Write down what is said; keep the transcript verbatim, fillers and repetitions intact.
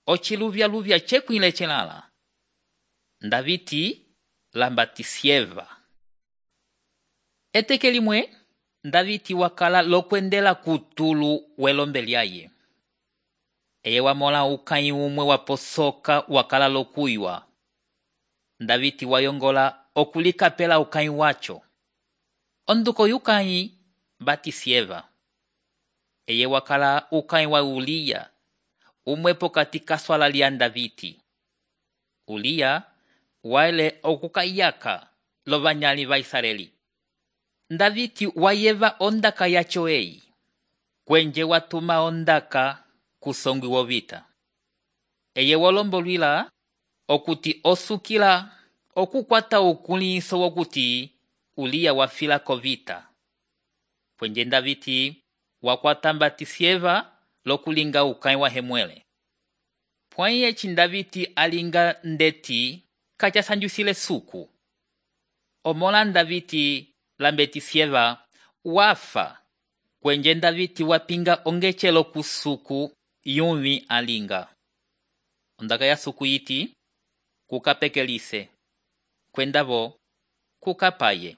ociluvya-luvya cekwile celala. Ndaviti lamba Tisieva. Eteke limwe, Ndaviti wakala lokwendela kutulu welombe lyaye. Eye wamola ukãyi umwe waposoka wakala lokuywa. Ndaviti wayongola okulikapela ukãyi wacho. Onduko yukãyi Batisieva. Eye wakala ukãyi wa Ulia, umwe pokati kaswala lya Ndaviti. Ulia waele okukayaka lovanyali va Israeli. Ndaviti wayeva ondaka yacho eyi. Kwenje watuma ondaka kusongwi wovita. Eye wolombolwila okuti osukila okukwata ukuliso wokuti Ulia wafila kovita. Kwenje Ndaviti wakwata Batisieva lokulinga ukãyi wa hemwele. Pwãyi eci Ndaviti alinga ndeti kacasanjwisile suku. Omola Ndaviti lambe Tisieva wafa. Kwenje Ndaviti wapinga ongecelo kusuku yumi alinga. Ondaka ya suku yiti kukapekelise. Kwendavo kukapaye.